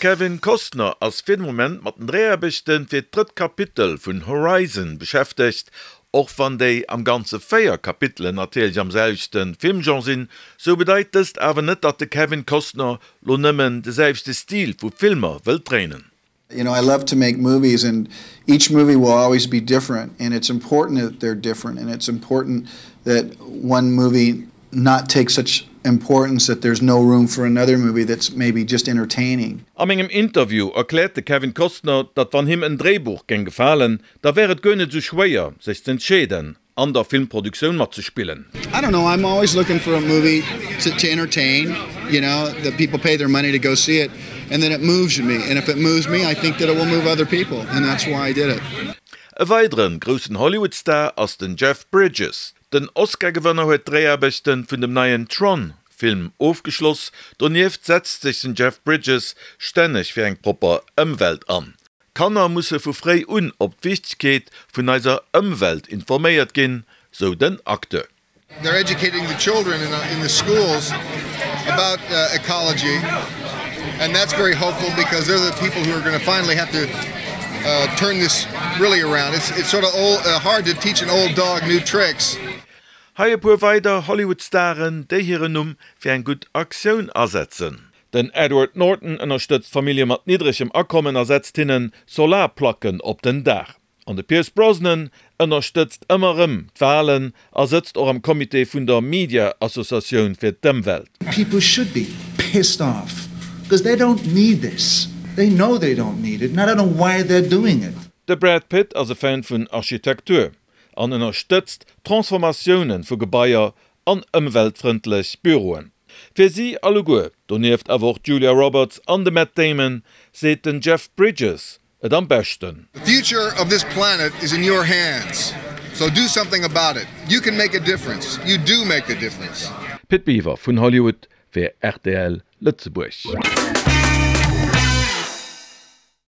Kevin Costner ass fir de Moment mat den Dréiaarbechte fir d'drëtt Kapitel vun Horizon beschäftegt. Och wann déi am Ganze 4 Kapitelen natierlech am selwechte Filmgenre sinn, sou bedeit dëst awer net, datt de Kevin Costner lo nëmmen de selwechte Stil vu Filmer wëllt dréinen. You know, I love to make movies and each movie will always be different and it's important that they're different and it's important that one movie not take such importance that there's no room for another movie that's maybe just entertaining. A mengem Interview erkläert de Kevin Costner, datt wann him en Dréibuch géing gefalen, da wär et guer net esou schwéier, sech z'entscheeden, an der Filmproduktioun matzespillen. I don't know, I'm always looking for a movie to to entertain, you know, that people pay their money to go see it and then it moves me and if it moves me, I think that it will move other people and that's why I did it. E weideren groussen Hollywood-Star ass den Jeff Bridges. Den Oscar-Gewënner huet d'Dréiaarbechten vun dem neien Tron Film ofgeschloss. Donieft setzt sech den Jeff Bridges stänneg fir eng propper Ëmwelt an. Kanner musse vu fréi un op d'Wichtegkeet vun eiser Ëmwelt informéiert ginn, sou den Acteur. They're educating the children in the schools about ecology and that's very hopeful because they're the people who are going to finally have to turn this really around. It's it's sort of old hard to teach an old dog new tricks. Hei e puer weider Hollywood-Staren, déi hiren Numm fir eng gutt Aktioun asetzen. Den Edward Norton ënnerstëtzt Famillje mat niddregem Akommen a setzt hinne Solarplacken op den Daach. An de Pierce Brosnan ënnerstëtzt ëmmer erëm d'Walen a sëtzt och am Comité vun der Media Associatioun fir d'Ëmwelt. People should be pissed off because they don't need this, they know they don't need it and I don't know why they're doing it. De Brad Pitt ass e Fan vun Architektur an ënnerstëtzt Transformatioune vu Gebaier an ëmweltfrëndlech Büroen. Fir si alleguer, donieft awer och d'Julia Roberts an de Matt Damon, seet den Jeff Bridges et am beschten. The future of this planet is in your hands, so do something about it. You can make a difference. You do make a difference. Pit Biwer vun Hollywood fir rtl Lëtzebuerg.